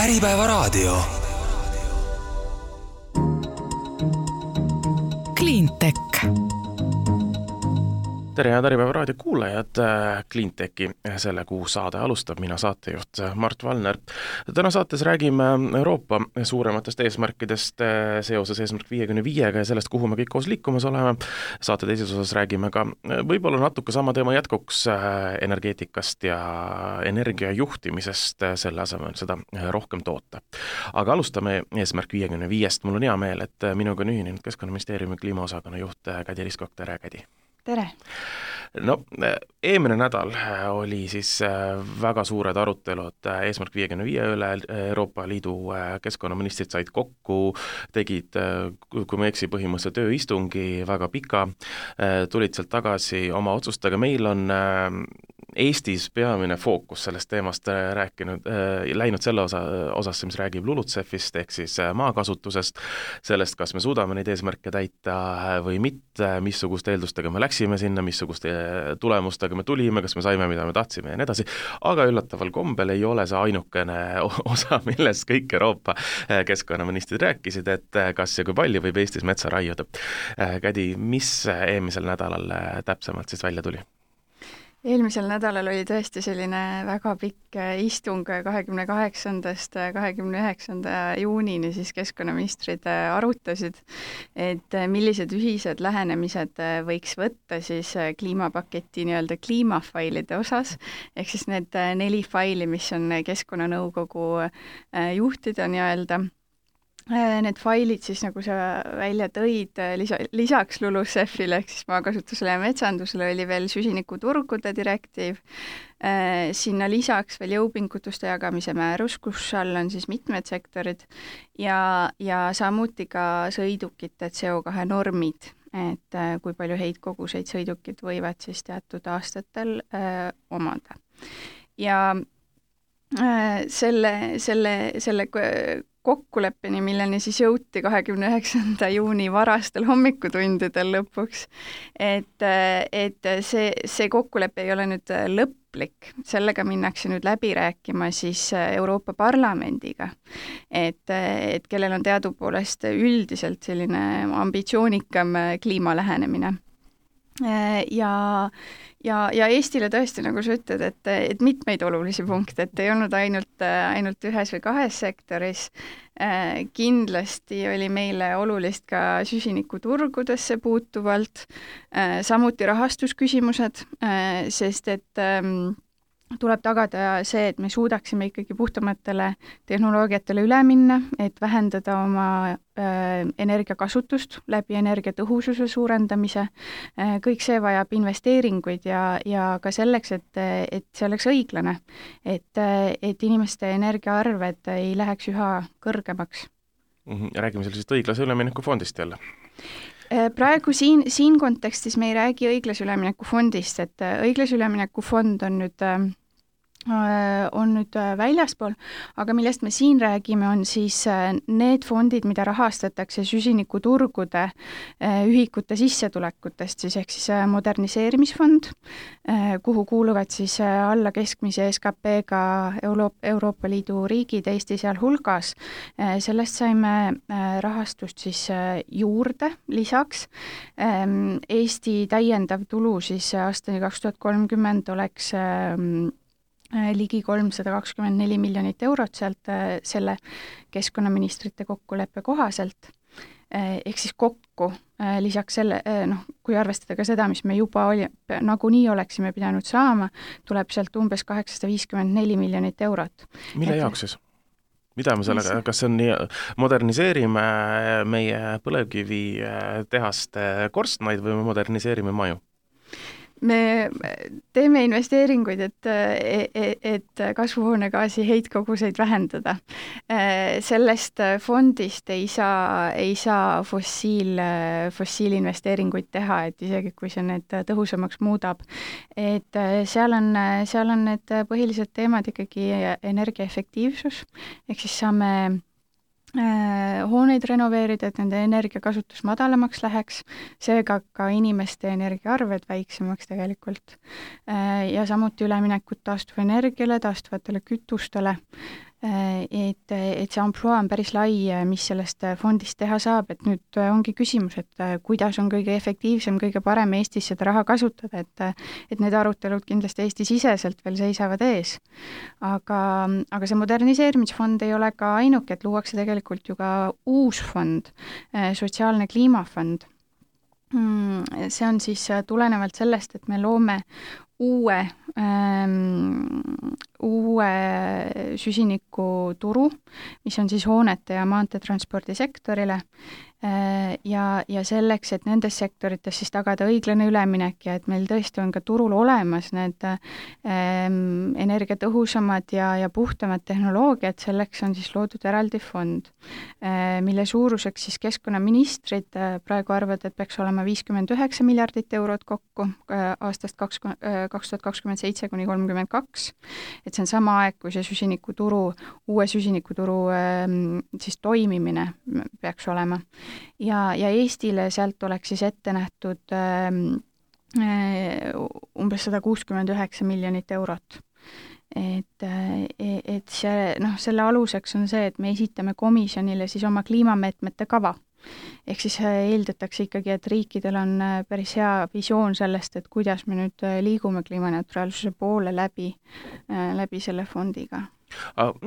Äripäevaraadio. Cleantech. Tere ja Äripäevaraadio kuulajad, Cleantechi selle kuu saade alustab, mina saatejuht Mart Valner. Täna saates räägime Euroopa suurematest eesmärkidest seoses eesmärk 55-ga ja sellest, kuhu me kõik koos liikumas oleme. Saate teises osas räägime ka võib-olla natuke sama teema jätkuks energeetikast ja energiajuhtimisest, selle asemel seda rohkem toota. Aga alustame eesmärk 55-st. Mul on hea meel, et minuga on ühinenud Keskkonnaministeeriumi kliimaosakonna juht Kädi Riskok. Tere, Kädi! Tere! No, eelmine nädal oli siis väga suured arutelud eesmärk 55 üle. Euroopa Liidu keskkonnaministrid said kokku, tegid, kui ma eksi, põhimõtteliselt tööistungi väga pika, tulid sealt tagasi oma otsustega. Meil on Eestis peamine fookus sellest teemast läinud selle osasse, mis räägib LULUCF-ist ehk siis maakasutusest, sellest, kas me suudame neid eesmärke täita või mitte, missuguste eeldustega me läksime sinna, missuguste tulemustega me tulime, kas me saime, mida me tahtsime ja nii edasi, aga üllataval kombel ei ole see ainukene osa, milles kõik Euroopa keskkonnaministrid rääkisid, et kas ja kui palju võib Eestis metsa raiuda. Kädi, mis eelmisel nädalal täpsemalt siis välja tuli? Eelmisel nädalal oli tõesti selline väga pikk istung 28. 29. juunini siis keskkonnaministrid arutasid, et millised ühised lähenemised võiks võtta siis kliimapaketi nii-öelda kliimafailide osas, ehk siis need 4 faili, mis on Keskkonnanõukogu juhtida nii-öelda. Need failid siis, nagu sa välja tõid, lisaks LULUCF-ile ehk siis maakasutusele ja metsandusele oli veel süsinikuturgude direktiiv, sinna lisaks veel jõupingutuste jagamise määrus, kus all on siis mitmed sektorid ja samuti ka sõidukite CO2 normid, et kui palju heitkoguseid sõidukid võivad siis teatud aastatel omada. Ja selle kokkuleppeni, milleni siis jõuti 29. juuni varastel hommikutundidel lõpuks, et see kokkulepe ei ole nüüd lõplik, sellega minnakse nüüd läbi rääkima siis Euroopa Parlamendiga, et kellel on teadupoolest üldiselt selline ambitsioonikam kliimalähenemine. Ja Eestile tõesti, nagu sa ütled, et mitmeid olulisi punkte, et ei olnud ainult ühes või 2 sektoris. Kindlasti oli meile olulist ka süsinikuturgudesse puutuvalt, samuti rahastusküsimused, sest et tuleb tagada see, et me suudaksime ikkagi puhtamatele tehnoloogiatele üle minna, et vähendada oma energiakasutust läbi energiatõhususe suurendamise. Kõik see vajab investeeringuid ja ka selleks, et see oleks õiglane, et inimeste energiaarved ei läheks üha kõrgemaks. Räägime sellisest õiglase ülemineku fondist jälle. Praegu siin kontekstis me ei räägi õiglase ülemineku fondist, et õiglase ülemineku fond on nüüd väljaspool, aga millest me siin räägime, on siis need fondid, mida rahastatakse süsinikuturgude ühikute sissetulekutest, siis ehk siis moderniseerimisfond, kuhu kuuluvad siis alla keskmise SKP-ga Euroopa Liidu riigid, Eesti seal hulgas. Sellest saime rahastust siis juurde lisaks. Eesti täiendav tulu siis aastani 2030 oleks ligi 324 miljonit eurot sealt selle keskkonnaministrite kokkuleppe kohaselt. Ehk siis kokku lisaks selle, kui arvestada ka seda, mis me juba nagunii oleksime pidanud saama, tuleb sealt umbes 854 miljonit eurot. Mille jaoks siis? Mida me sellega, kas see on moderniseerime meie põlevkivi tehaste korstnaid või me moderniseerime maju? Me teeme investeeringuid, et kasvuhoonegaasi heitkoguseid vähendada. Sellest fondist ei saa fossiilinvesteeringuid teha, et isegi kui see need tõhusamaks muudab. Et seal on need põhilised teemad ikkagi energiaefektiivsus, ehk siis saame hooneid renoveerida, et nende energiakasutus madalamaks läheks, seega ka inimeste energiaarved väiksemaks tegelikult. Ja samuti üleminekut taastuvenergiale, taastuvatele kütustele. et see ampluaa on päris lai, mis sellest fondist teha saab, et nüüd ongi küsimus, et kuidas on kõige efektiivsem, kõige parem Eestis seda raha kasutada, et need arutelud kindlasti Eesti-siseselt veel seisavad ees. Aga see moderniseerimisfond ei ole ka ainuke, et luuakse tegelikult ju ka uus fond, sotsiaalne kliimafond. See on siis tulenevalt sellest, et me loome uue süsinikuturu, mis on siis hoonete ja maanteetranspordi sektorile ja selleks, et nendes sektorites siis tagada õiglane üleminek ja et meil tõesti on ka turul olemas need energiatõhusamad ja puhtamad tehnoloogiad, selleks on siis loodud eraldi fond, mille suuruseks siis keskkonnaministrid praegu arvavad, et peaks olema 59 miljardit eurot kokku aastast 2027 kuni 32, et see on sama aeg, kui see uue süsinikuturu siis toimimine peaks olema. Ja Eestile sealt oleks siis ette nähtud umbes 169 miljonit eurot. Et selle aluseks on see, et me esitame komisjonile siis oma kliimameetmete kava. Ehk siis eeldatakse ikkagi, et riikidel on päris hea visioon sellest, et kuidas me nüüd liigume kliimaneutraalsuse poole läbi selle fondiga.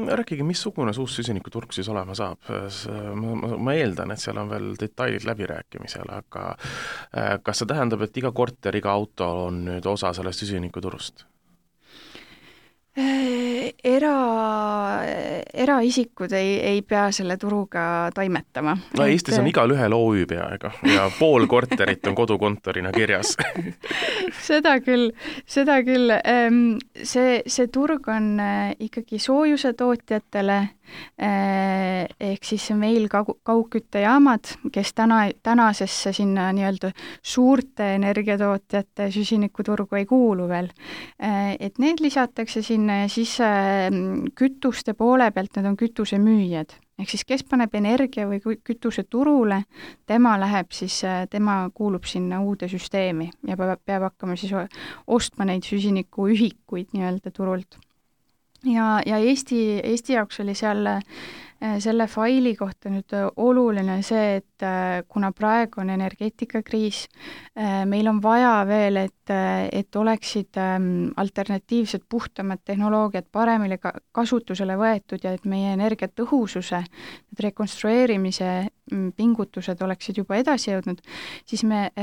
Rääkige, missugune uus süsinikuturg siis olema saab? Ma eeldan, et seal on veel detailid läbirääkimisel, aga kas see tähendab, et iga korter, iga auto on nüüd osa sellest süsinikuturust? Eraisikud ei pea selle turuga taimetama. No Eestis on igal ühel OÜ peaega ja pool korterit on kodukontorina kirjas. Seda küll. See turg on ikkagi soojuse tootjatele, ehk siis meil kaugküttejaamad, kes tänasesse sinna nii-öelda suurte energiatootjate süsinikuturgu ei kuulu veel, et need lisatakse sinna ja siis kütuste poole pealt need on kütusemüüjad. Ehk siis kes paneb energia või kütuse turule, tema kuulub sinna uude süsteemi ja peab hakkama siis ostma neid süsinikuühikuid nii-öelda turult. Ja Eesti jaoks oli selle faili kohta nüüd oluline see, et kuna praegu on energeetikakriis, meil on vaja veel, et oleksid alternatiivsed puhtamad tehnoloogiad paremini kasutusele võetud ja et meie energiatõhususe, rekonstrueerimise pingutused oleksid juba edasi jõudnud, siis me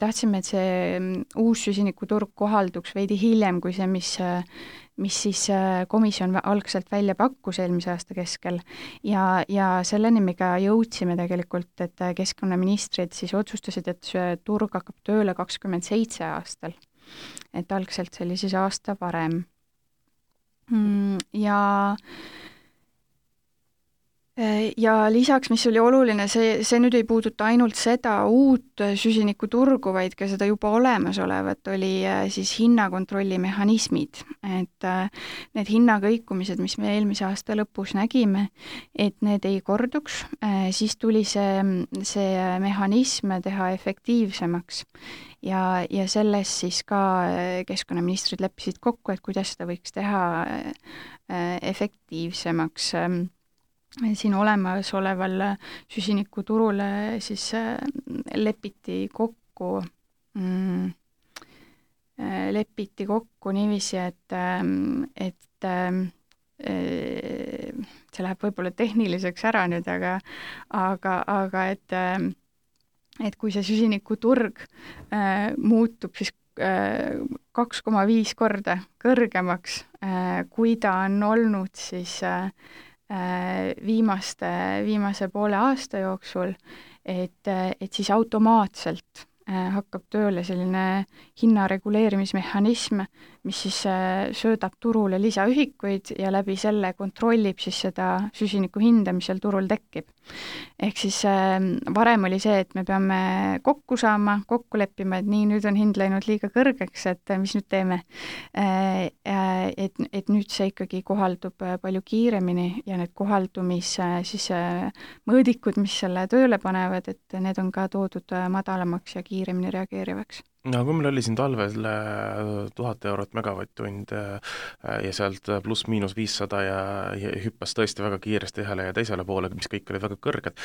tahtsime, et see uus süsinikuturg kohalduks veidi hiljem kui see, mis siis komisjon algselt välja pakkus eelmise aasta keskel ja selleni me ka jõudsime tegelikult, et keskkonnaministrid siis otsustasid, et see turg hakkab tööle 27 aastal. Et algselt see oli siis aasta varem. Ja lisaks, mis oli oluline, see nüüd ei puuduta ainult seda uut süsinikuturgu, vaid ka seda juba olemasolevat, oli siis hinnakontrolli mehhanismid. Et need hinnakõikumised, mis me eelmise aasta lõpus nägime, et need ei korduks, siis tuli see mehhanism teha efektiivsemaks. Ja selles siis ka keskkonnaministrid leppisid kokku, et kuidas seda võiks teha efektiivsemaks. Siin olemasoleval süsinikuturule siis lepiti kokku niiviisi, et see läheb võib-olla tehniliseks ära nüüd, aga et kui see süsinikuturg muutub siis 2,5 korda kõrgemaks, kui ta on olnud siis viimase poole aasta jooksul, et siis automaatselt hakkab tööle selline hinnareguleerimismehhanism, mis siis söödab turule lisaühikuid ja läbi selle kontrollib siis seda süsiniku hinda, mis seal turul tekib. Ehk siis varem oli see, et me peame kokku saama, kokku leppima, et nii, nüüd on hind läinud liiga kõrgeks, et mis nüüd teeme. Et nüüd see ikkagi kohaldub palju kiiremini ja need siis mõõdikud, mis selle tööle panevad, et need on ka toodud madalamaks ja kiiremini reageerivaks. no kui meil oli siin talvel 1000 eurot megavatt-tund ja sealt pluss-miinus 500 ja hüppas tõesti väga kiiresti ühele ja teisele poole, mis kõik olid väga kõrged,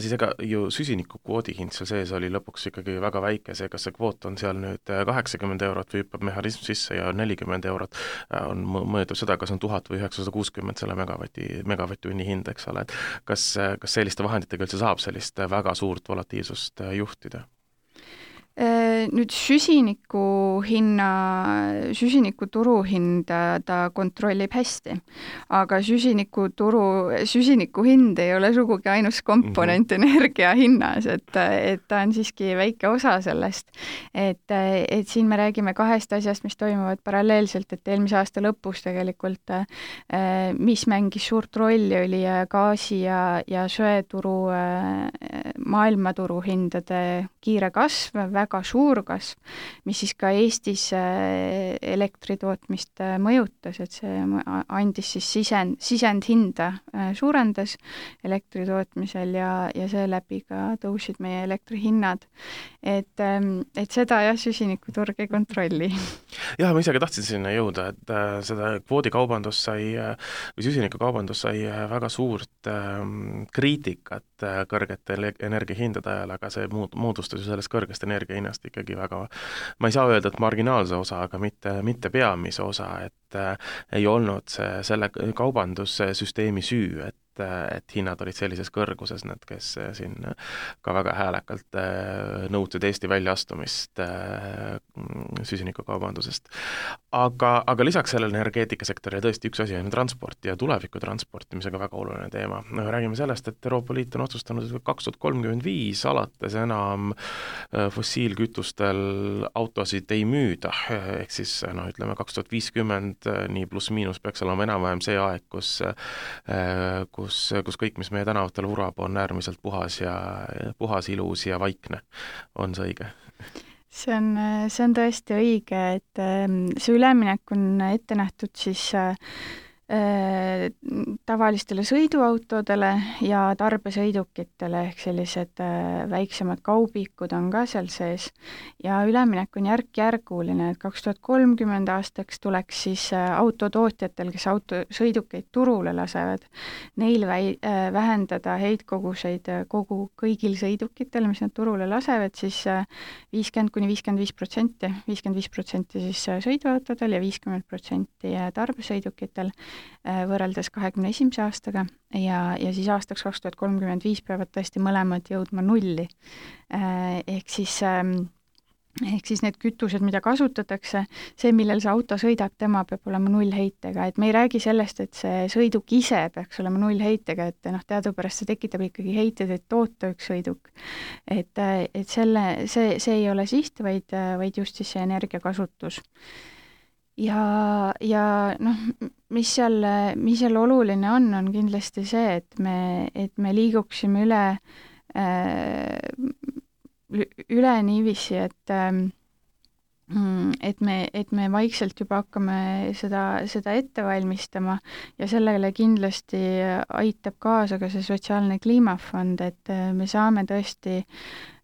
siis ega ju süsinikukvoodi hind seal sees oli lõpuks ikkagi väga väike, see kas see kvoot on seal nüüd 80 eurot või hüppab mehhanism sisse ja 40 eurot, mõjutab seda, kas on 1000 või 960 selle megavatt-tunni hind, eks ole, et kas selliste vahenditega üldse saab sellist väga suurt volatiilsust juhtida? Nüüd süsiniku turuhinda ta kontrollib hästi, aga süsiniku hind ei ole sugugi ainus komponent energia hinnas, et ta on siiski väike osa sellest. Et siin me räägime kahest asjast, mis toimuvad paralleelselt, et eelmise aasta lõpus tegelikult, mis mängis suurt rolli, oli gaasi ja söeturu, maailmaturu hindade kiire kasv, väga suur kasv, mis siis ka Eestis elektritootmist mõjutas, et see andis siis sisendhinda suurendas elektritootmisel ja seeläbi ka tõusid meie elektrihinnad. Et seda jah, süsinikuturg ei kontrolli. Jah, ma isegi tahtsin sinna jõuda, et seda kvoodikaubandus või süsinikukaubandus sai väga suurt kriitikat kõrgete energiahindade ajal, aga see moodustas ju sellest kõrgest energiahinnast ikkagi väga, ma ei saa öelda, et marginaalse osa, aga mitte peamise osa, et ei olnud selle kaubandussüsteemi süü, et hinnad olid sellises kõrguses, need, kes siin ka väga häälekalt nõudsid Eesti väljaastumist süsinikukaubandusest. Aga lisaks sellele energeetikasektorile tõesti üks asi on transport ja tuleviku transportimisega väga oluline teema. Räägime sellest, et Euroopa Liit on otsustanud 2035 alates enam fossiilkütustel autosid ei müüda, ehk siis ütleme 2050 nii pluss-miinus peaks olema enam-vähem see aeg, kus kõik, mis meie tänavatel vurab, on äärmiselt puhas, ilus ja vaikne. On see õige? See on tõesti õige, et see üleminek on ette nähtud siis tavalistele sõiduautodele ja tarbesõidukitele, ehk sellised väiksemad kaubikud on ka seal sees ja üleminek on järk-järguline, et 2030 aastaks tuleks siis autotootjatel, kes autosõidukeid turule lasevad, neil vähendada heitkoguseid kõigil sõidukitel, mis nad turule lasevad, siis 50–55%, 55% siis sõiduautodel ja 50% tarbesõidukitel võrreldes 2021. aastaga ja siis aastaks 2035 peavad tõesti mõlemad jõudma nulli. Ehk siis need kütused, mida kasutatakse, see, millel see auto sõidab, tema peab olema nullheitega, et me ei räägi sellest, et see sõiduk ise peaks olema nullheitega, et teadupärast see tekitab ikkagi heited, et toota üks sõiduk. Et see ei ole siht, vaid just siis see energiakasutus. Ja mis seal oluline on kindlasti see, et me liiguksime üle niiviisi, et me vaikselt juba hakkame seda ette valmistama ja sellele kindlasti aitab kaasa ka see sotsiaalne kliimafond, et me saame tõesti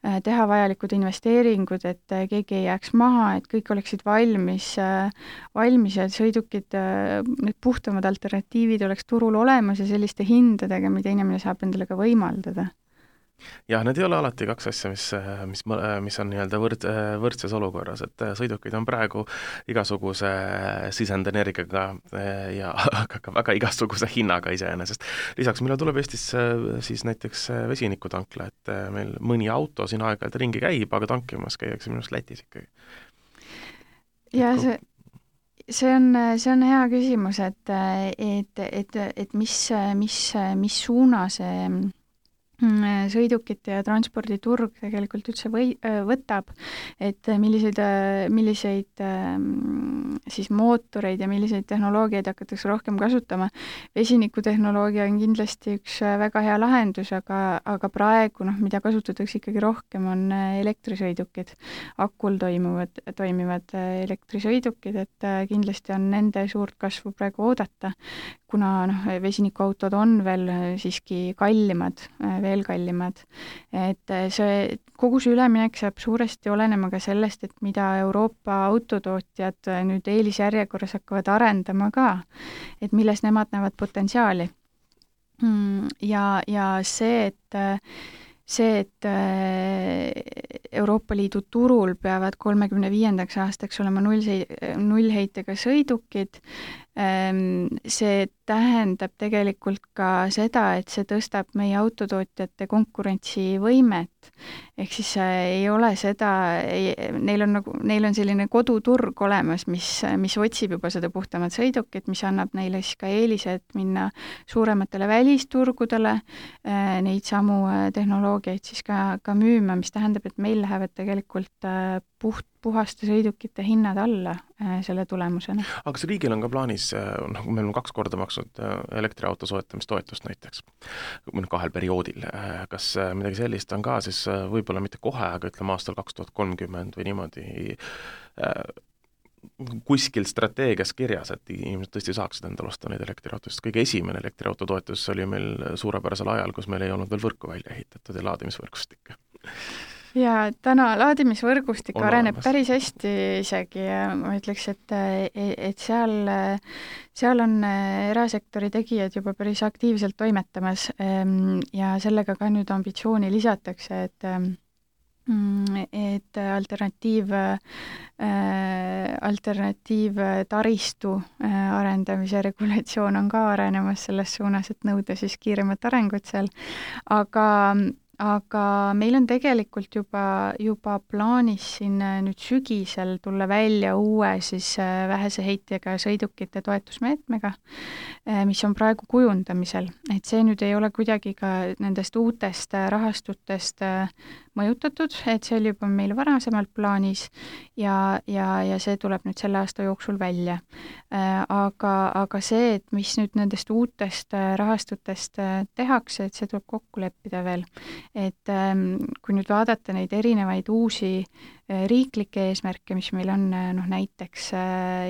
teha vajalikud investeeringud, et keegi ei jääks maha, et kõik oleksid valmis ja sõidukid, need puhtamad alternatiivid oleks turul olemas ja selliste hindadega, mida inimene saab endale ka võimaldada. Jah, need ei ole alati kaks asja, mis on nii-öelda võrdses olukorras, et sõidukid on praegu igasuguse sisendenergiaga ja ka väga igasuguse hinnaga iseenesest. Lisaks meile tuleb Eestis siis näiteks vesinikutankla, et meil mõni auto siin aeg-ajalt ringi käib, aga tankimas käiakse minu arust Lätis ikkagi. Ja see on hea küsimus, et mis suuna see sõidukite ja transporditurg tegelikult üldse võtab, et milliseid siis mootoreid ja milliseid tehnoloogiaid hakatakse rohkem kasutama. Vesinikutehnoloogia on kindlasti üks väga hea lahendus, aga praegu, mida kasutatakse ikkagi rohkem, on elektrisõidukid, akul toimivad elektrisõidukid, et kindlasti on nende suurt kasvu praegu oodata, kuna vesinikuautod on veel siiski kallimad veel kallimad. Et kogu see üleminek saab suuresti olenema ka sellest, et mida Euroopa autotootjad nüüd eelisjärjekorras hakkavad arendama ka, et milles nemad näevad potentsiaali. Ja see, et Euroopa Liidu turul peavad 35. aastaks olema nullheitega sõidukid, see tähendab tegelikult ka seda, et see tõstab meie autotootjate konkurentsivõimet. Ehk siis ei ole seda, neil on selline koduturg olemas, mis otsib juba seda puhtamat sõidukit, mis annab neile siis ka eelised minna suurematele välisturgudele, neid samu tehnoloogiaid siis ka müüma, mis tähendab, et meil lähevad tegelikult puhaste sõidukite hinnad alla selle tulemusena. Aga kas riigil on ka plaanis, meil on 2 korda maksnud elektriauto soetamistoetust näiteks, 2 perioodil, kas midagi sellist on ka siis võib-olla mitte kohe, aga ütleme aastal 2030 või niimoodi kuskil strateegias kirjas, et inimesed tõesti saaksid endale osta neid elektriautost. Kõige esimene elektriauto toetus oli meil suurepärasel ajal, kus meil ei olnud veel võrku välja ehitatud ja laadimisvõrgustikke. Ja täna laadimisvõrgustik areneb päris hästi isegi, ma ütleks, et seal on erasektori tegijad juba päris aktiivselt toimetamas ja sellega ka nüüd ambitsiooni lisatakse, et alternatiiv taristu arendamise regulatsioon on ka arenemas selles suunas, et nõuda siis kiiremat arengut seal, aga meil on tegelikult juba plaanis siin nüüd sügisel tulla välja uue siis vähese heitega sõidukite toetusmeetmega, mis on praegu kujundamisel. Et see nüüd ei ole kuidagi ka nendest uutest rahastutest mõjutatud, et see oli juba meil varasemalt plaanis ja see tuleb nüüd selle aasta jooksul välja. Aga see, et mis nüüd nendest uutest rahastutest tehakse, et see tuleb kokku leppida veel. Et kui nüüd vaadata neid erinevaid uusi riiklikke eesmärke, mis meil on näiteks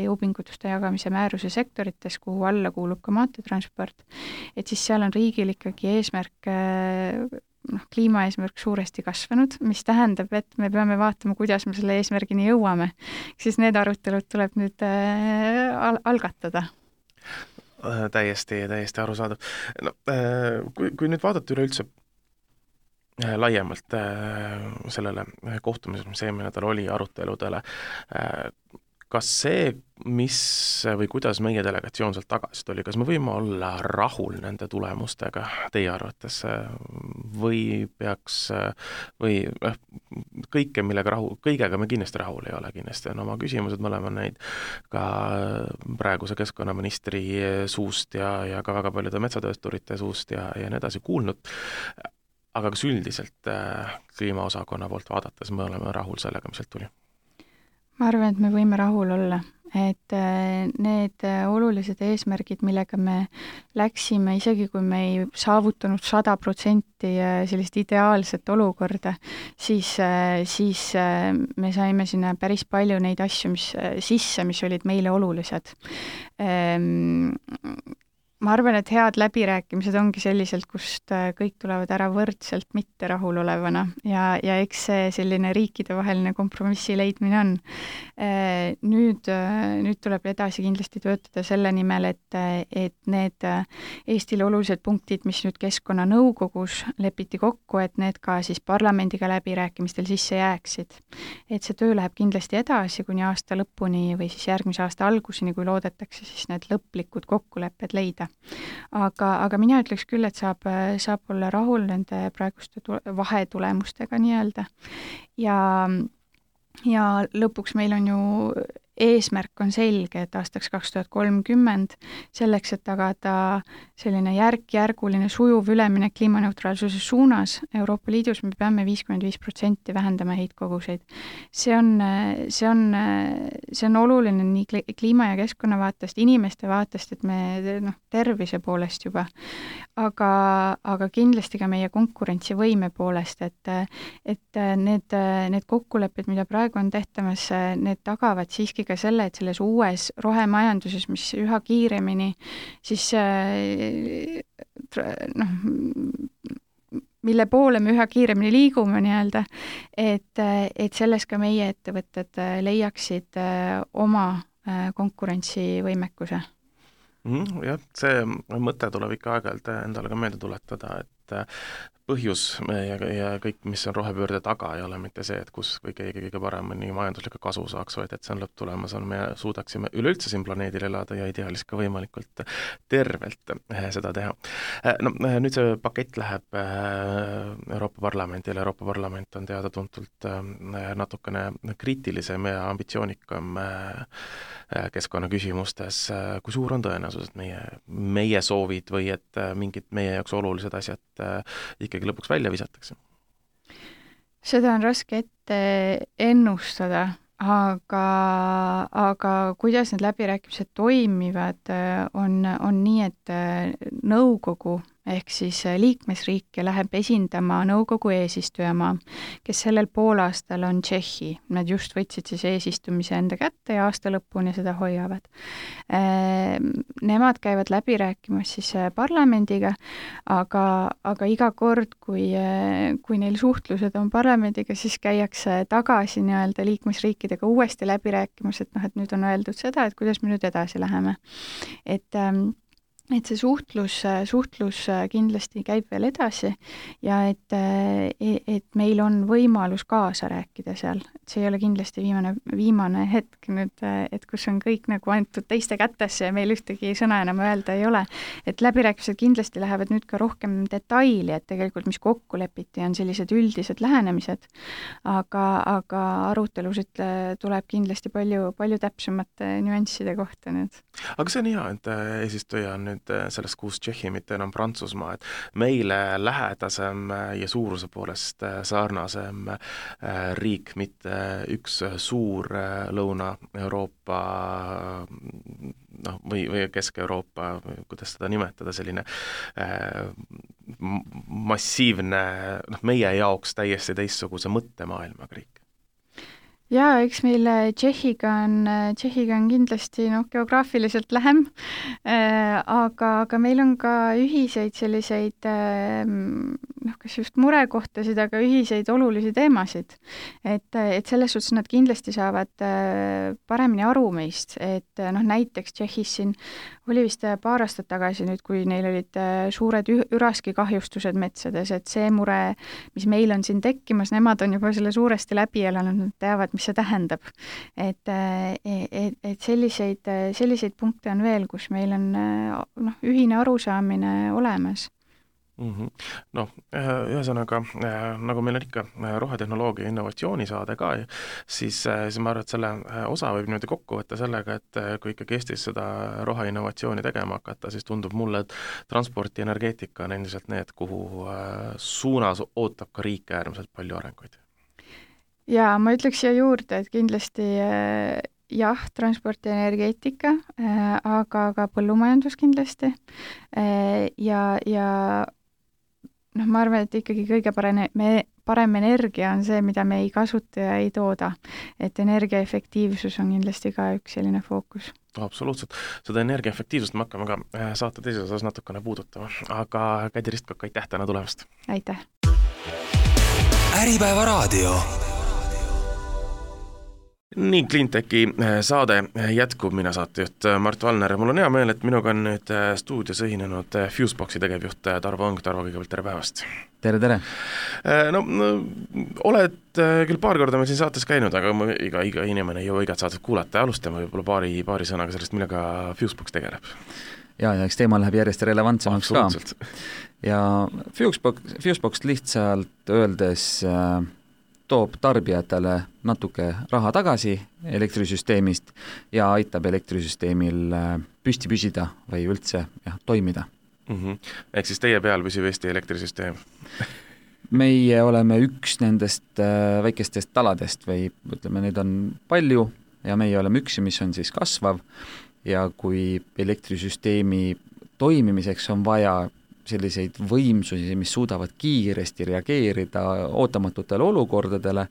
jõupingutuste jagamise määruse sektorites, kuhu alla kuulub ka maanteetransport, et siis seal on riigil ikkagi eesmärk, kliimaeesmärk suuresti kasvanud, mis tähendab, et me peame vaatama, kuidas me selle eesmärgini jõuame. Siis need arutelud tuleb nüüd algatada. Täiesti arusaadav. No, kui nüüd vaadata üleüldse laiemalt sellele kohtumisele, mis eelmine nädal oli aruteludele, kas see, mis või kuidas meie delegatsioon sealt tagasi tuli, kas me võime olla rahul nende tulemustega teie arvates või peaks või kõigega me kindlasti rahul ei ole kindlasti, on oma küsimused, me oleme neid ka praeguse keskkonnaministri suust ja ka väga paljude metsatöösturite suust ja nii edasi kuulnud. Aga kas üldiselt kliimaosakonna poolt vaadates me oleme rahul sellega, mis sealt tuli? Ma arvan, et me võime rahul olla, et need olulised eesmärgid, millega me läksime, isegi kui me ei saavutanud 100% sellist ideaalset olukorda, siis me saime sinna päris palju neid asju, mis olid meile olulised. Ma arvan, et head läbirääkimised ongi selliselt, kust kõik tulevad ära võrdselt mitte rahulolevana ja eks see selline riikidevaheline kompromissi leidmine on. Nüüd tuleb edasi kindlasti töötada selle nimel, et need Eestile olulised punktid, mis nüüd Keskkonnanõukogus lepiti kokku, et need ka siis parlamendiga läbirääkimistel sisse jääksid. Et see töö läheb kindlasti edasi kuni aasta lõpuni või siis järgmise aasta alguseni, kui loodetakse siis need lõplikud kokkulepped leida. Aga mina ütleks küll, et saab olla rahul nende praeguste vahetulemustega nii-öelda. Ja lõpuks meil on ju eesmärk on selge, et aastaks 2030 selleks, et tagada selline järk-järguline sujuv üleminek kliimaneutraalsuse suunas Euroopa Liidus, me peame 55% vähendama heitkoguseid. See on oluline nii kliima ja keskkonna vaatest, inimeste vaatest, et me tervise poolest juba, aga kindlasti ka meie konkurentsivõime poolest, et need kokkulepped, mida praegu on tehtamas, need tagavad siiski ka selle, et selles uues rohemajanduses, mis üha kiiremini siis mille poole me üha kiiremini liigume nii-öelda, et selles ka meie ettevõtted leiaksid oma konkurentsivõimekuse. Jah, see mõte tuleb ikka aeg-ajalt endale ka meelde tuletada, et põhjus ja kõik, mis on rohepöörde taga, ei ole mitte see, et kus või keegi kõige paremini majanduslikku kasu saaks, vaid et see on lõpptulemas, me suudaksime üleüldse siin planeedil elada ja ideaalis ka võimalikult tervelt seda teha. No nüüd see pakett läheb Euroopa Parlamendile, Euroopa Parlament on teada-tuntult natukene kriitilisem ja ambitsioonikam keskkonnaküsimustes. Kui suur on tõenäosus, et meie soovid või et mingid meie jaoks olulised asjad ikkagi lõpuks välja visatakse? Seda on raske ette ennustada, aga kuidas need läbirääkimised toimivad, on nii, et nõukogu ehk siis liikmesriike läheb esindama nõukogu eesistujamaa, kes sellel poolaastal on Tšehhi. Nad just võtsid siis eesistumise enda kätte ja aasta lõpuni seda hoiavad. Nemad käivad läbi rääkimas siis parlamendiga, aga iga kord, kui neil suhtlused on parlamendiga, siis käiakse tagasi nii-öelda liikmesriikidega uuesti läbi rääkimas, et nüüd on öeldud seda, et kuidas me nüüd edasi läheme. Et see suhtlus kindlasti käib veel edasi ja et meil on võimalus kaasa rääkida seal. Et see ei ole kindlasti viimane hetk nüüd, et kus on kõik nagu antud teiste kätesse ja meil ühtegi sõna enam öelda ei ole. Et läbirääkimised kindlasti lähevad nüüd ka rohkem detaili, et tegelikult mis kokku lepiti on sellised üldised lähenemised, aga arutelusid tuleb kindlasti palju täpsemate nüansside kohta nüüd. Aga see on hea, et eesistuja on nüüd sellest kuus Tšehhi, mitte enam Prantsusmaa, et meile lähedasem ja suuruse poolest sarnasem riik, mitte üks suur Lõuna-Euroopa või Kesk-Euroopa, kuidas seda nimetada, selline massiivne, meie jaoks täiesti teistsuguse mõttemaailmaga riik. Jaa, eks meil Tšehhiga on kindlasti geograafiliselt lähem, aga meil on ka ühiseid selliseid, kas just murekohtasid, aga ühiseid olulisi teemasid. Et selles suhtes nad kindlasti saavad paremini aru meist, et näiteks Tšehhis siin oli vist paar aastat tagasi nüüd, kui neil olid suured üraski kahjustused metsades, et see mure, mis meil on siin tekkimas, nemad on juba selle suuresti läbi elanud, nad teavad, mis see tähendab. Et selliseid punkte on veel, kus meil on ühine arusaamine olemas. Ühesõnaga, nagu meil on ikka rohetehnoloogia innovatsioonisaade ka, siis ma arvan, et selle osa võib niimoodi kokku võtta sellega, et kui ikkagi Eestis seda roheinnovatsiooni tegema hakata, siis tundub mulle, et transport ja energeetika on endiselt need, kuhu suunas ootab ka riik äärmiselt palju arenguid. Ja ma ütleks siia juurde, et kindlasti jah, transport ja energeetika, aga ka põllumajandus kindlasti ja ma arvan, et ikkagi kõige parem energia on see, mida me ei kasuta ja ei tooda. Et energiaefektiivsus on kindlasti ka üks selline fookus. Absoluutselt. Seda energiaefektiivsust me hakkame ka saate teises osas natukene puudutama. Aga Kädi Ristkok, aitäh täna tulemast! Aitäh! Äripäeva raadio. Nii Cleantechi saade jätkub, mina saatejuht Mart Valner. Mul on hea meel, et minuga on nüüd stuudios ühinenud Fuseboxi tegevjuht Tarvo Õng. Tarvo, kõigepealt tere päevast! Tere! Oled küll paar korda meil siin saates käinud, aga iga inimene ei jõua igat saadet kuulata. Alustame võib-olla paari sõnaga sellest, millega Fusebox tegeleb. Ja eks teema läheb järjest relevantsemaks ka. Ja Fusebox lihtsalt öeldes toob tarbijatele natuke raha tagasi elektrisüsteemist ja aitab elektrisüsteemil püsti püsida või üldse toimida. Ehk siis teie peal püsib Eesti elektrisüsteem? Meie oleme üks nendest väikestest taladest või ütleme, neid on palju ja meie oleme üks, mis on siis kasvav ja kui elektrisüsteemi toimimiseks on vaja selliseid võimsusi, mis suudavad kiiresti reageerida ootamatutele olukordadele,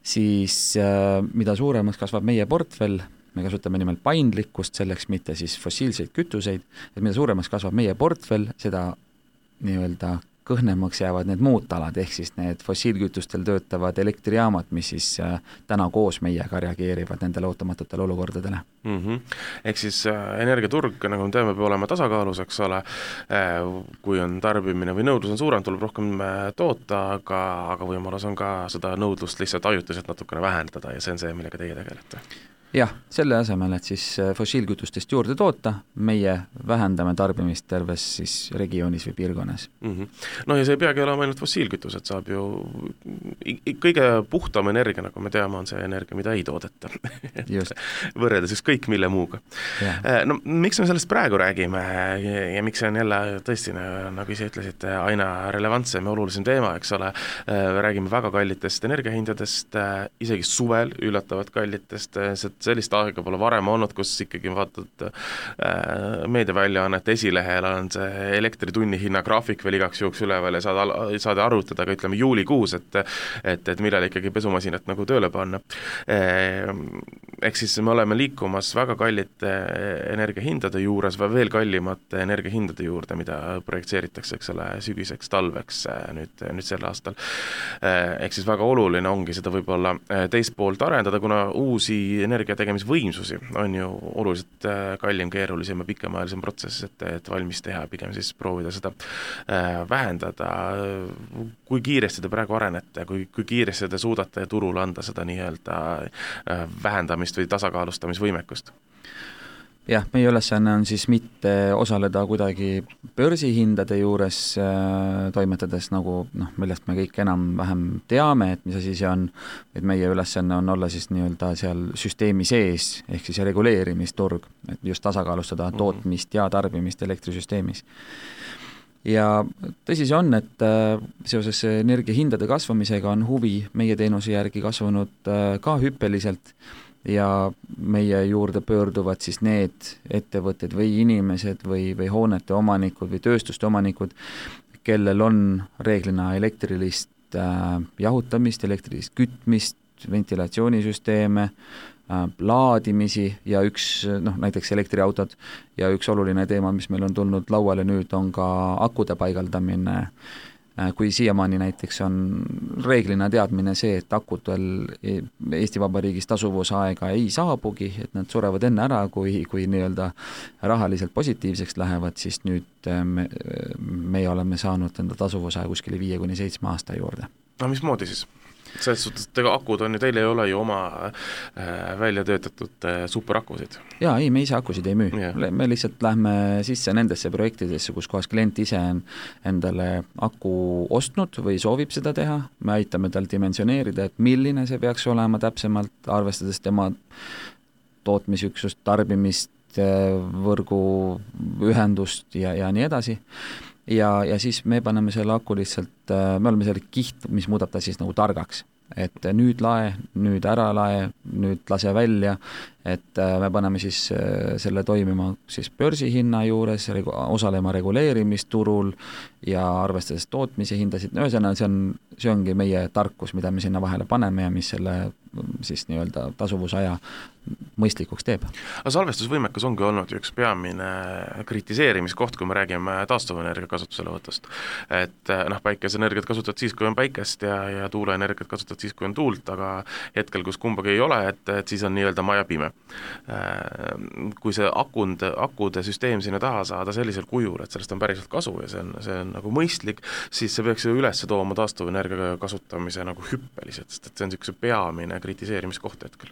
siis mida suuremaks kasvab meie portfell, me kasutame nimelt paindlikkust selleks, mitte siis fossiilseid kütuseid, et mida suuremaks kasvab meie portfell, seda nii-öelda kõhnemaks jäävad need muud talad, ehk siis need fossiilkütustel töötavad elektrijaamad, mis siis täna koos meiega reageerivad nendele ootamatutele olukordadele. Ehk siis energiaturg, nagu me teame, peab olema tasakaalus, eks ole, kui on tarbimine või nõudlus on suurem, tuleb rohkem toota, aga võimalus on ka seda nõudlust lihtsalt ajutiselt natukene vähendada ja see on see, millega teie tegelete. Jah, selle asemel, et siis fossiilkütustest juurde toota, meie vähendame tarbimist terves siis regioonis või piirkonnas. No ja see ei peagi olema ainult fossiilkütused, saab ju kõige puhtam energia, nagu me teame, on see energia, mida ei toodeta. Võrreldes ükskõik mille muuga. No miks me sellest praegu räägime ja miks see on jälle tõesti, nagu ise ütlesite, aina relevantsem ja olulisem teema, eks ole, räägime väga kallitest energiahindadest, isegi suvel üllatavad kallitest, sellist aega pole varem olnud, kus ikkagi vaatad meediaväljaannete esilehel on see elektritunni hinna graafik veel igaks juhuks üleval ja saad arvutada ka ütleme juulikuus, et millal ikkagi pesumasinat nagu tööle panna. Ehk siis me oleme liikumas väga kallite energiahindade juures või veel kallimate energiahindade juurde, mida projekteeritakse, eks ole, sügiseks, talveks nüüd sel aastal. Ehk siis väga oluline ongi seda võib-olla teist poolt arendada, kuna uusi energiategemisvõimsusi on ju oluliselt kallim, keerulisem ja pikemaajalisem protsess, et valmis teha, pigem siis proovida seda vähendada. Kui kiiresti te praegu arenete, kui kiiresti te suudate turule anda seda nii-öelda vähendamist või tasakaalustamisvõimekust? Jah, meie ülesanne on siis mitte osaleda kuidagi börsihindade juures toimetades, nagu millest me kõik enam-vähem teame, et mis asi see on, et meie ülesanne on olla siis nii-öelda seal süsteemi sees, ehk siis reguleerimisturg, et just tasakaalustada tootmist ja tarbimist elektrisüsteemis. Ja tõsi see on, et seoses energiahindade kasvamisega on huvi meie teenuse järgi kasvanud ka hüppeliselt, ja meie juurde pöörduvad siis need ettevõtted või inimesed või hoonete omanikud või tööstuste omanikud, kellel on reeglina elektrilist jahutamist, elektrilist kütmist, ventilatsioonisüsteeme, laadimisi ja näiteks elektriautod ja üks oluline teema, mis meil on tulnud lauale nüüd, on ka akude paigaldamine. Kui siiamaani näiteks on reeglina teadmine see, et akudel Eesti Vabariigis tasuvusaega ei saabugi, et nad surevad enne ära, kui nii-öelda rahaliselt positiivseks lähevad, siis nüüd me oleme saanud enda tasuvusaja kuskile 5-7 aasta juurde. No mismoodi siis? Selles suhtes, et akud on ju, teil ei ole ju oma välja töötatud superakusid. Jaa, ei, me ise akusid ei müü. Me lihtsalt lähme sisse nendesse projektidesse, kus kohas klient ise on endale aku ostnud või soovib seda teha. Me aitame tal dimensioneerida, et milline see peaks olema täpsemalt, arvestades tema tootmisüksust, tarbimist, võrgu ühendust ja nii edasi. Ja siis me paneme selle aku lihtsalt, me oleme selle kiht, mis muudab ta siis nagu targaks, et nüüd lae, nüüd ära lae, nüüd lase välja, et me paneme siis selle toimima siis börsihinna juures, osalema reguleerimisturul ja arvestades tootmise hindasid, ühesõnaga see ongi meie tarkus, mida me sinna vahele paneme ja mis selle siis nii-öelda tasuvusaja mõistlikuks teeb. Aga salvestusvõimekus ongi olnud üks peamine kritiseerimiskoht, kui me räägime taastuvenergia kasutuselevõtust. Et päikeseenergiat kasutad siis, kui on päikest ja tuuleenergiat kasutad siis, kui on tuult, aga hetkel, kus kumbagi ei ole, et siis on nii-öelda maja pime. Kui see akude süsteem sinna taha saada sellisel kujul, et sellest on päriselt kasu ja see on nagu mõistlik, siis see peaks ju üles tooma taastuvenergia kasutamise nagu hüppeliselt, sest et see on niisuguse peamine kritiseerimiskoht hetkel.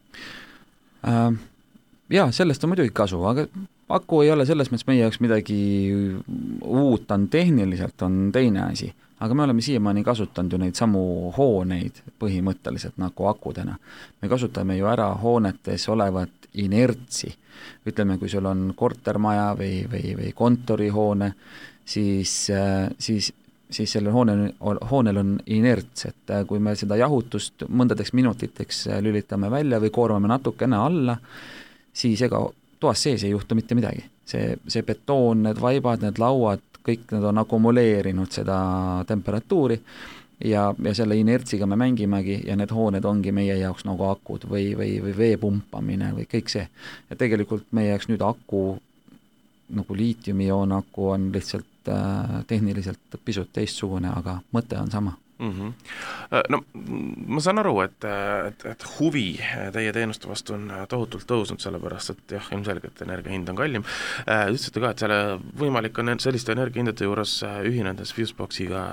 Jaa, sellest on muidugi kasu, aga aku ei ole selles mõttes meie jaoks midagi uut, on tehniliselt on teine asi, aga me oleme siiamaani kasutanud ju neid samu hooneid põhimõtteliselt nagu akudena. Me kasutame ju ära hoonetes olevat inertsi. Ütleme, kui sul on kortermaja või kontorihoone, siis sellel hoonel on inerts, et kui me seda jahutust mõndadeks minutiteks lülitame välja või koormame natukene alla, siis ega toas sees ei juhtu mitte midagi. See betoon, need vaibad, need lauad, kõik need on akumuleerinud seda temperatuuri ja selle inertsiga me mängimegi ja need hooned ongi meie jaoks nagu akud või vee pumpamine või kõik see. Ja tegelikult meie jaoks nüüd aku, nagu liitiumioon aku on lihtsalt tehniliselt pisut teistsugune, aga mõte on sama. No ma saan aru, et huvi teie teenuste vastu on tohutult tõusnud, sellepärast et jah, ilmselgelt energia hind on kallim. Ütlesite ka, et selle võimalik on selliste energiahindade juures ühinedes Fuseboxiga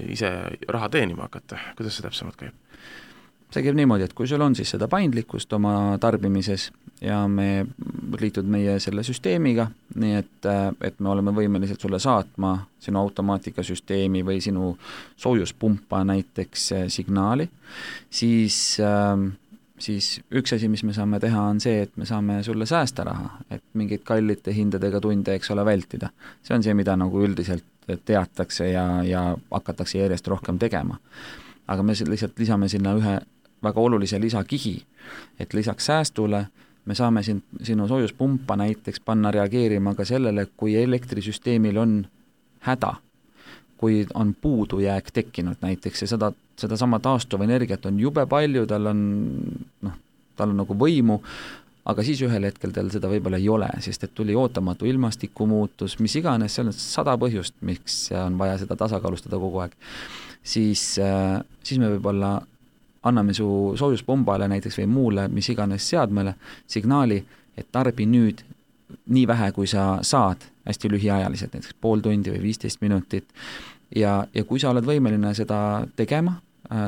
ise raha teenima hakata. Kuidas see täpsemalt käib? See käib niimoodi, et kui sul on siis seda paindlikkust oma tarbimises ja me liitud meie selle süsteemiga, nii et me oleme võimelised sulle saatma sinu automaatikasüsteemi või sinu soojuspumpa näiteks signaali, siis üks asi, mis me saame teha, on see, et me saame sulle säästa raha, et mingid kallite hindadega tunde, eks ole, vältida. See on see, mida nagu üldiselt teatakse ja hakatakse järjest rohkem tegema. Aga me lihtsalt lisame sinna ühe väga olulise lisakihi, et lisaks säästule me saame sinu soojuspumpa näiteks panna reageerima ka sellele, kui elektrisüsteemil on häda, kui on puudujääk tekkinud näiteks ja seda sama taastuva energiat on jube palju, tal on nagu võimu, aga siis ühel hetkel tal seda võib-olla ei ole, sest et tuli ootamatu ilmastikumuutus, mis iganes, seal on 100 põhjust, miks on vaja seda tasakaalustada kogu aeg. Siis me võib-olla anname su soojuspumbale näiteks või muule, mis iganes seadmele, signaali, et tarbi nüüd nii vähe, kui sa saad, hästi lühiajaliselt, näiteks pool tundi või 15 minutit. Ja kui sa oled võimeline seda tegema,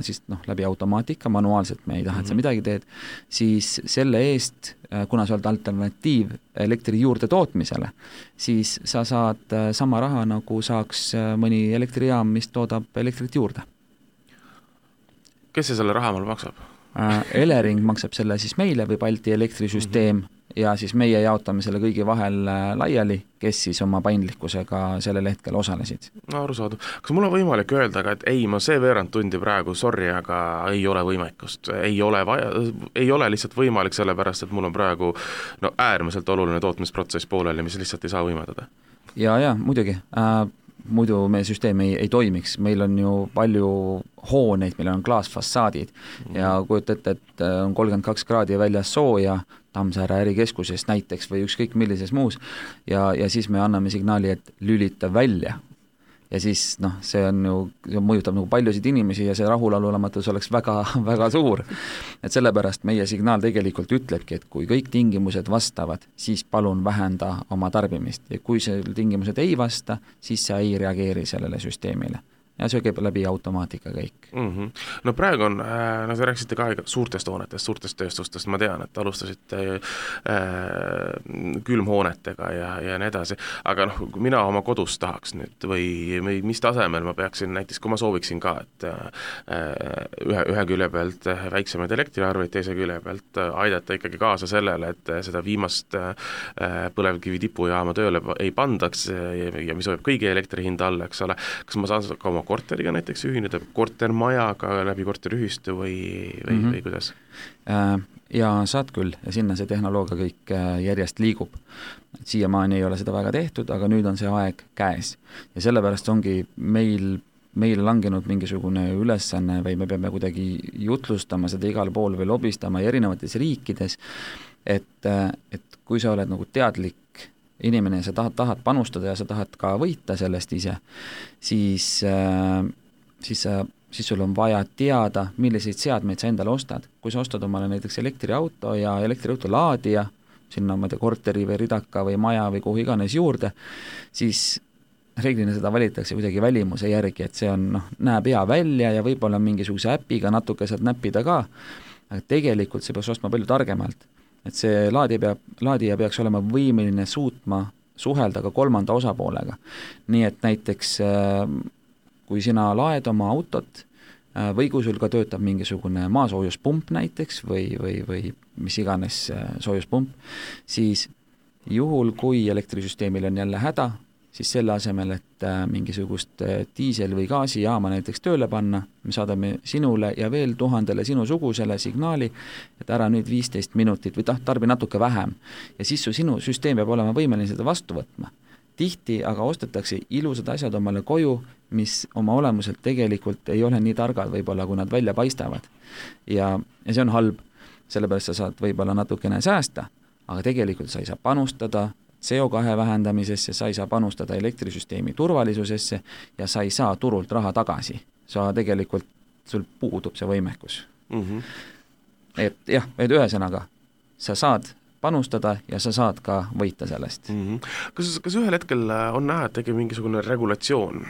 siis läbi automaatika, manuaalselt me ei taha, et sa midagi teed, siis selle eest, kuna sa oled alternatiiv elektri juurde tootmisele, siis sa saad sama raha, nagu saaks mõni elektrijaam, mis toodab elektrit juurde. Kes see selle raha mul maksab? Elering maksab selle siis meile või Balti elektrisüsteem ja siis meie jaotame selle kõigi vahel laiali, kes siis oma paindlikkusega sellel hetkel osalesid. No arusaadu. Kas mul on võimalik öelda ka, et ei, ma see veerand tundi praegu, sorry, aga ei ole võimekust, ei ole lihtsalt võimalik sellepärast, et mul on praegu äärmiselt oluline tootmisprotsess pooleli, mis lihtsalt ei saa võimaldada? Ja, muidugi. Muidu meie süsteem ei toimiks, meil on ju palju hooneid, meil on klaasfassaadid ja kujutate, et on 32 kraadi väljas sooja Tammsaare ärikeskuses näiteks või ükskõik millises muus ja siis me anname signaali, et lülita välja. Ja siis see mõjutab nagu paljusid inimesi ja see rahulolematus oleks väga, väga suur. Et sellepärast meie signaal tegelikult ütlebki, et kui kõik tingimused vastavad, siis palun vähenda oma tarbimist ja kui see tingimused ei vasta, siis sa ei reageeri sellele süsteemile. Ja see käib läbi automaatika kõik. No praegu on, sa rääkisite ka suurtest hoonetest, suurtest tööstustest, ma tean, et alustasite külmhoonetega ja nii edasi, aga mina oma kodus tahaks nüüd või mis tasemel ma peaksin näiteks, kui ma sooviksin ka, et ühe külje pealt väiksemaid elektriarveid, teise külje pealt aidata ikkagi kaasa sellele, et seda viimast põlevkivi tipujaama tööle ei pandaks ja mis hoiab kõigi elektrihinda alla, eks ole, kas ma saan ka oma korteriga näiteks ühineda, kortermajaga läbi korteriühistu või kuidas? Ja saad küll ja sinna see tehnoloogia kõik järjest liigub. Siiamaani ei ole seda väga tehtud, aga nüüd on see aeg käes ja sellepärast ongi meil langenud mingisugune ülesanne või me peame kuidagi jutlustama seda igal pool või lobistama erinevates riikides, et kui sa oled nagu teadlik inimene ja sa tahad panustada ja sa tahad ka võita sellest ise, siis sul on vaja teada, milliseid seadmeid sa endale ostad. Kui sa ostad omale näiteks elektriauto ja elektriauto laadija, sinna korteri või ridaka või maja või kuhu iganes juurde, siis reeglina seda valitakse kuidagi välimuse järgi, et see on, näeb hea välja ja võib-olla mingisuguse äpiga natuke saad näppida ka, aga tegelikult see peaks ostma palju targemalt. Et see laadija peaks olema võimeline suutma suhelda ka kolmanda osapoolega. Nii et näiteks kui sina laed oma autot või kui sul ka töötab mingisugune maasoojuspump näiteks või mis iganes soojuspump, siis juhul, kui elektrisüsteemil on jälle häda, siis selle asemel, et mingisugust diisel- või gaasijaama näiteks tööle panna, me saadame sinule ja veel 1000 sinusugusele signaali, et ära nüüd 15 minutit või tarbi natuke vähem. Ja siis sinu süsteem peab olema võimeline seda vastu võtma. Tihti aga ostetakse ilusad asjad omale koju, mis oma olemuselt tegelikult ei ole nii targad võib-olla, kui nad välja paistavad. Ja see on halb, sellepärast sa saad võib-olla natukene säästa, aga tegelikult sa ei saa panustada, CO2 vähendamisesse, sa ei saa panustada elektrisüsteemi turvalisusesse ja sa ei saa turult raha tagasi. Sa tegelikult, sul puudub see võimekus. Et jah, et ühesõnaga, sa saad panustada ja sa saad ka võita sellest. Kas ühel hetkel on näha, et tegi mingisugune regulatsioon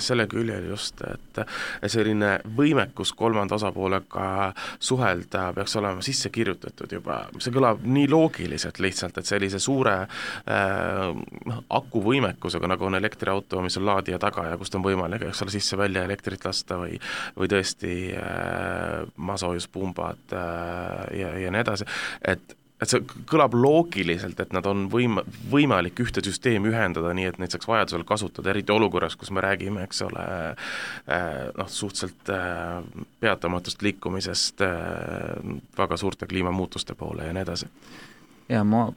selle küljel just, et selline võimekus kolmanda osapoolega suhelda peaks olema sisse kirjutatud juba, see kõlab nii loogiliselt lihtsalt, et sellise suure akuvõimekusega, nagu on elektriauto, mis on laadija taga ja kust on võimalik, eks ole, sisse-välja elektrit lasta või tõesti masoojuspumbad ja nii edasi, et see kõlab loogiliselt, et nad on võimalik ühte süsteemi ühendada nii, et neid saaks vajadusel kasutada, eriti olukorras, kus me räägime, eks ole, suhteliselt peatamatust liikumisest väga suurte kliimamuutuste poole ja nii edasi. Ja ma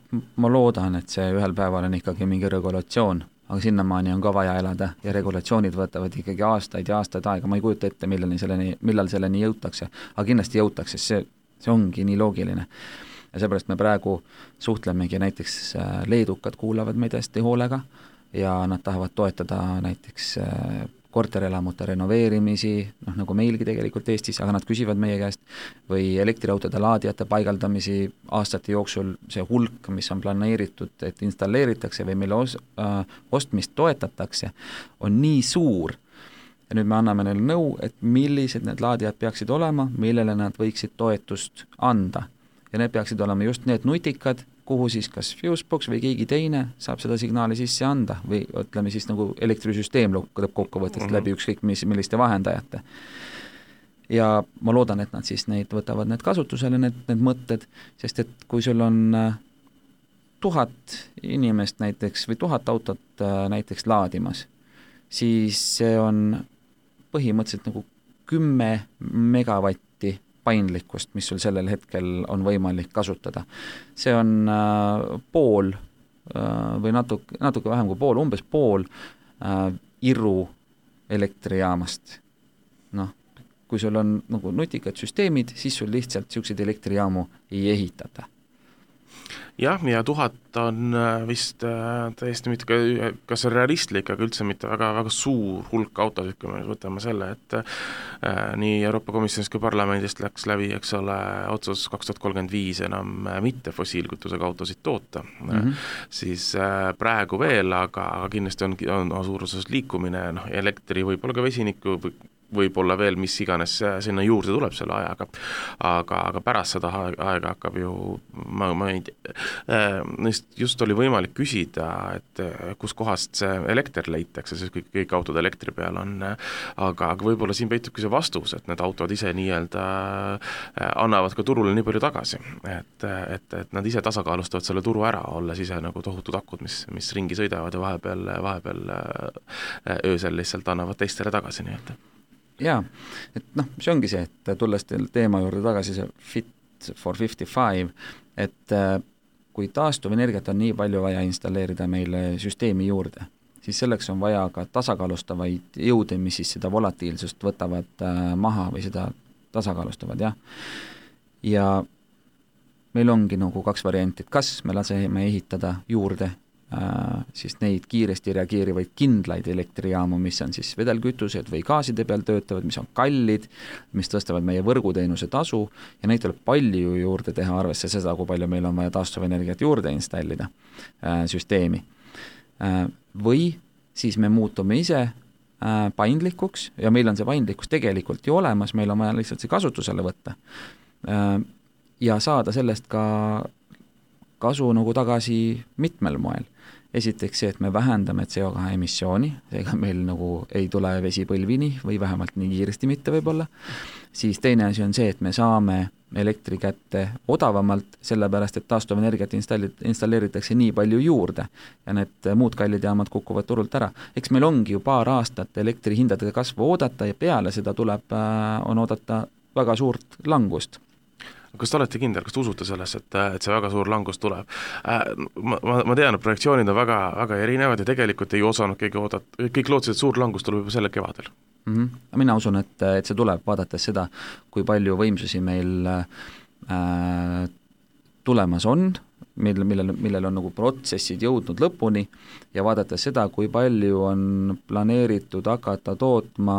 loodan, et see ühel päeval on ikkagi mingi regulatsioon, aga sinnamaani on ka vaja elada ja regulatsioonid võtavad ikkagi aastaid ja aastaid aega, ma ei kujuta ette, millal selleni jõutakse, aga kindlasti jõutakse, see ongi nii loogiline. Ja seepärast me praegu suhtlemegi, näiteks leedukad kuulavad meid hästi hoolega ja nad tahavad toetada näiteks korterelamute renoveerimisi, nagu meilgi tegelikult Eestis, aga nad küsivad meie käest, või elektriautode laadijate paigaldamisi aastate jooksul, see hulk, mis on planeeritud, et installeeritakse või mille ostmist toetatakse, on nii suur. Ja nüüd me anname neile nõu, et millised need laadijad peaksid olema, millele nad võiksid toetust anda. Ja need peaksid olema just need nutikad, kuhu siis kas Fusebox või keegi teine saab seda signaali sisse anda või ütleme siis nagu elektrisüsteem lõpp kokkuvõttes läbi ükskõik milliste vahendajate. Ja ma loodan, et nad siis võtavad need kasutusele, need mõtted, sest et kui sul on 1000 inimest näiteks või 1000 autot näiteks laadimas, siis see on põhimõtteliselt nagu 10 megavatti paindlikkust, mis sul sellel hetkel on võimalik kasutada. See on pool või natuke vähem kui pool, umbes pool Iru elektrijaamast. Kui sul on nagu nutikad süsteemid, siis sul lihtsalt niisuguseid elektrijaamu ei ehitata. Jah, ja 1000 on vist täiesti mitte, kas realistlik, aga üldse mitte väga suur hulk autosid, kui me võtame selle, et nii Euroopa Komisjonist kui parlamendist läks läbi, eks ole, otsus 2035 enam mitte fossiilkütusega autosid toota. Siis praegu veel, aga kindlasti on suuruses liikumine, elektri võib-olla ka vesiniku võib-olla veel mis iganes sinna juurde tuleb selle ajaga, aga pärast seda aega hakkab ju, ma ei tea, just oli võimalik küsida, et kus kohast see elekter leitakse, sest kõik autod elektri peal on, aga võib-olla siin peitubki see vastus, et need autod ise nii-öelda annavad ka turule nii palju tagasi, et nad ise tasakaalustavad selle turu ära, olles ise nagu tohutud akud, mis ringi sõidavad ja vahepeal öösel lihtsalt annavad teistele tagasi nii-öelda. Jaa, et see ongi see, et tulles teema juurde tagasi, see Fit for 55, et kui taastuvenergiat on nii palju vaja installeerida meile süsteemi juurde, siis selleks on vaja ka tasakaalustavaid jõude, mis siis seda volatiilsust võtavad maha või seda tasakaalustavad, jah. Ja meil ongi nagu 2 varianti, et kas me laseme ehitada juurde siis neid kiiresti reageerivaid kindlaid elektrijaamu, mis on siis vedelkütused või gaaside peal töötavad, mis on kallid, mis tõstavad meie võrguteenuse tasu ja neid tuleb palju juurde teha arvesse seda, kui palju meil on vaja taastuvenergiat juurde installida süsteemi. Või siis me muutume ise paindlikuks ja meil on see paindlikkus tegelikult ju olemas, meil on vaja lihtsalt see kasutusele võtta ja saada sellest ka kasu nagu tagasi mitmel moel. Esiteks see, et me vähendame CO2 emissiooni, seega meil nagu ei tule vesi põlvini või vähemalt nii kiiresti mitte võib-olla. Siis teine asi on see, et me saame elektri kätte odavamalt, sellepärast et taastuvenergiat installeeritakse nii palju juurde ja need muud kallid jaamad kukuvad turult ära. Eks meil ongi ju paar aastat elektrihindadega kasvu oodata ja peale seda on oodata väga suurt langust. Kas te olete kindel, kas te usute selles, et see väga suur langus tuleb? Ma tean, et projektsioonid on väga erinevad ja tegelikult ei osanud keegi oodata, kõik lootsid, et suur langus tuleb juba selle kevadel. Mina usun, et see tuleb vaadates seda, kui palju võimsusi meil tulemas on millel on nagu protsessid jõudnud lõpuni ja vaadates seda, kui palju on planeeritud hakata tootma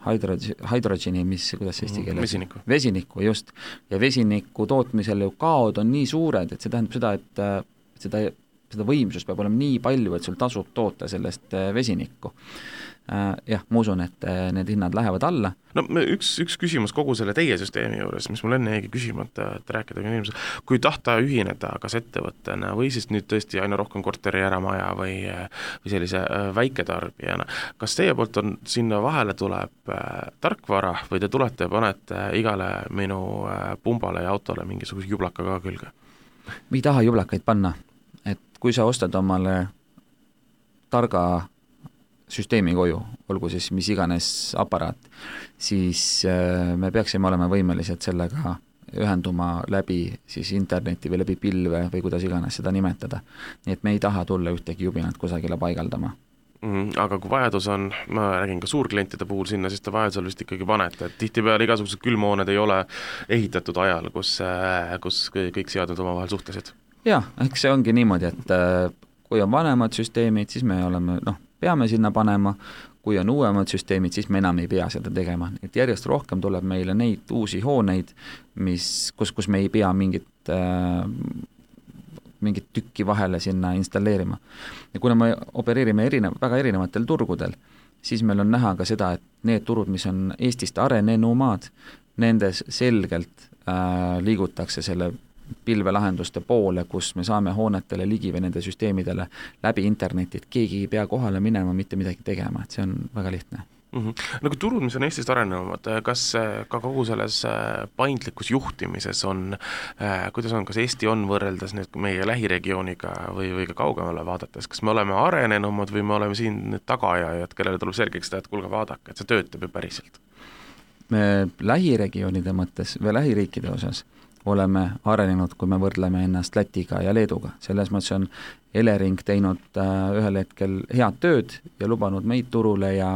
hydrogeni, kuidas eesti keeles? Vesinikku, just. Ja vesiniku tootmisel ju kaod on nii suured, et see tähendab seda, et seda võimsust peab olema nii palju, et sul tasub toota sellest vesinikku. Jah, ma usun, et need hinnad lähevad alla. No üks küsimus kogu selle teie süsteemi juures, mis mul enne jäigi küsimata, et rääkida inimesed, kui tahta ühineda kas ettevõttena või siis nüüd tõesti aina rohkem korteri äramaja või sellise väiketarbijana, kas teie poolt on sinna vahele tuleb tarkvara või te tulete ja panete igale minu pumbale ja autole mingisuguse jublaka ka külge? Me ei taha jublakaid panna, et kui sa ostad omale targa süsteemi koju, olgu siis mis iganes aparaat, siis me peaksime olema võimelised sellega ühenduma läbi siis interneti või läbi pilve või kuidas iganes seda nimetada. Nii et me ei taha tulla ühtegi jubinat kusagile paigaldama. Aga kui vajadus on, ma räägin ka suurklientide puhul sinna, siis te vajadusel vist ikkagi panete, et tihtipeale igasugused külmhooned ei ole ehitatud ajal, kus kõik seadmed omavahel suhtlesid. Jah, eks see ongi niimoodi, et kui on vanemad süsteemid, siis me oleme, peame sinna panema, kui on uuemad süsteemid, siis me enam ei pea seda tegema. Et järjest rohkem tuleb meile neid uusi hooneid, kus me ei pea mingit tükki vahele sinna installeerima. Ja kuna me opereerime väga erinevatel turgudel, siis meil on näha ka seda, et need turud, mis on Eestist arenenumaad, nendes selgelt liigutakse selle pilvelahenduste poole, kus me saame hoonetele ligi või nende süsteemidele läbi interneti, et keegi ei pea kohale minema, mitte midagi tegema, et see on väga lihtne. No kui turud, mis on Eestist arenevamad, kas ka kogu selles paindlikus juhtimises on, kuidas on, kas Eesti on võrreldes nüüd meie lähiregiooniga või ka kaugemale vaadates, kas me oleme arenenumad või me oleme siin tagaajajad, kellele tuleb selgeks seda, et kuulge vaadake, et see töötab ju päriselt? Me lähiregioonide mõttes või lähiriikide osas oleme arenenud, kui me võrdleme ennast Lätiga ja Leeduga. Selles mõttes on Elering teinud ühel hetkel head tööd ja lubanud meid turule ja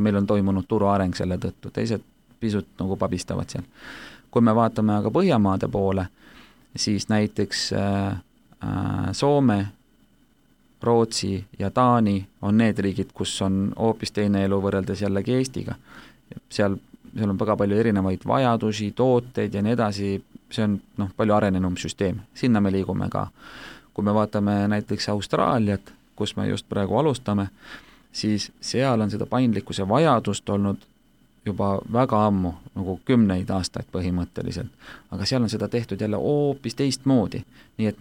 meil on toimunud turuareng selle tõttu. Teised pisut nagu pabistavad seal. Kui me vaatame aga Põhjamaade poole, siis näiteks Soome, Rootsi ja Taani on need riigid, kus on hoopis teine elu võrreldes jällegi Eestiga. Seal on väga palju erinevaid vajadusi, tooteid ja nii edasi, see on palju arenenum süsteem, sinna me liigume ka. Kui me vaatame näiteks Austraaliat, kus me just praegu alustame, siis seal on seda paindlikkuse vajadust olnud juba väga ammu, nagu 10 aastaid põhimõtteliselt, aga seal on seda tehtud jälle hoopis teistmoodi, nii et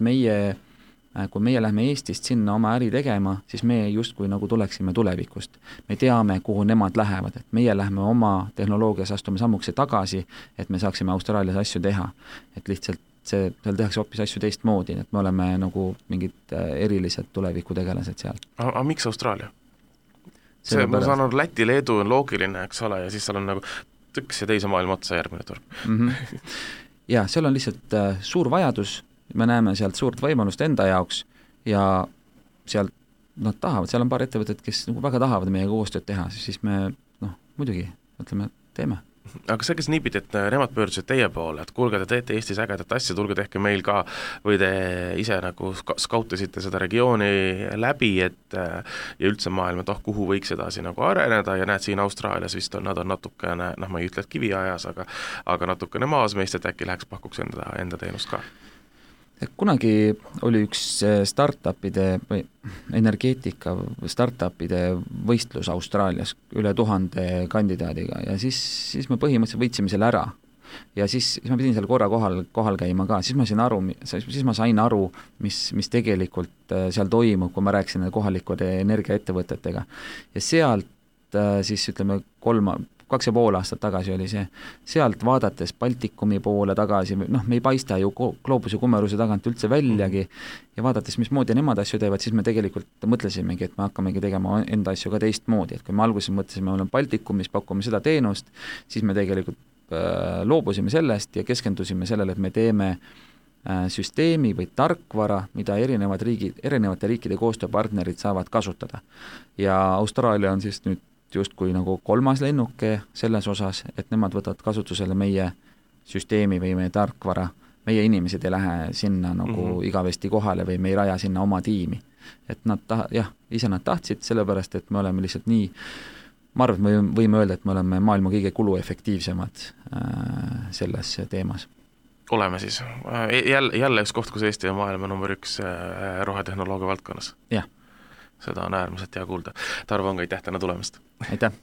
kui meie lähme Eestist sinna oma äri tegema, siis me justkui nagu tuleksime tulevikust. Me teame, kuhu nemad lähevad, et meie lähme oma tehnoloogias astume sammukese tagasi, et me saaksime Austraalias asju teha. Et lihtsalt seal tehakse hoopis asju teistmoodi, et me oleme nagu mingid erilised tulevikutegelased seal. Aga miks Austraalia? Ma saan aru, Läti, Leedu on loogiline, eks ole, ja siis seal on nagu tõks ja teise maailma otsa järgmine turg. Ja seal on lihtsalt suur vajadus, me näeme sealt suurt võimalust enda jaoks ja sealt nad tahavad, seal on paar ettevõtet, kes nagu väga tahavad meiega koostööd teha, siis me muidugi ütleme, teeme. Aga see, kes niipidi, et nemad pöördusid teie poole, et kuulge, te teete Eestis ägedat asja, tulge tehke meil ka, või te ise nagu skautasite seda regiooni läbi, et ja üldse maailma, et kuhu võiks edasi nagu areneda ja näed siin Austraalias vist nad on natukene, ma ei ütle, et kiviajas, aga natukene maas meist, et äkki läheks pakuks enda teenust ka. Kunagi oli üks startupide või energeetika startupide võistlus Austraalias üle 1000 kandidaadiga ja siis me põhimõtteliselt võitsime selle ära. Ja siis ma pidin seal korra kohal käima ka, siis ma sain aru, mis tegelikult seal toimub, kui ma rääkisin kohalikude energiaettevõtetega. Ja sealt siis ütleme 2,5 aastat tagasi oli see, sealt vaadates Baltikumi poole tagasi, me ei paista ju gloobuse kummeruse tagant üldse väljagi ja vaadates, mismoodi nemad asju teevad, siis me tegelikult mõtlesimegi, et me hakkamegi tegema enda asju ka teistmoodi, et kui me alguses mõtlesime, me oleme Baltikumis, pakume seda teenust, siis me tegelikult loobusime sellest ja keskendusime sellele, et me teeme süsteemi või tarkvara, mida erinevate riikide koostööpartnerid saavad kasutada. Ja Austraalia on siis nüüd justkui nagu 3. lennuke selles osas, et nemad võtavad kasutusele meie süsteemi või meie tarkvara meie inimesed ei lähe sinna nagu igavesti kohale või me ei raja sinna oma tiimi. Et nad ise nad tahtsid, sellepärast, et me oleme lihtsalt nii, ma arvan, et me võime öelda, et me oleme maailma kõige kuluefektiivsemad selles teemas. Oleme siis. Jälle üks koht, kus Eesti on maailma number 1 rohetehnoloogia valdkonnas. Jah. Seda on äärmiselt hea kuulda. Tarvo Ong, aitäh täna tulemast! Aitäh!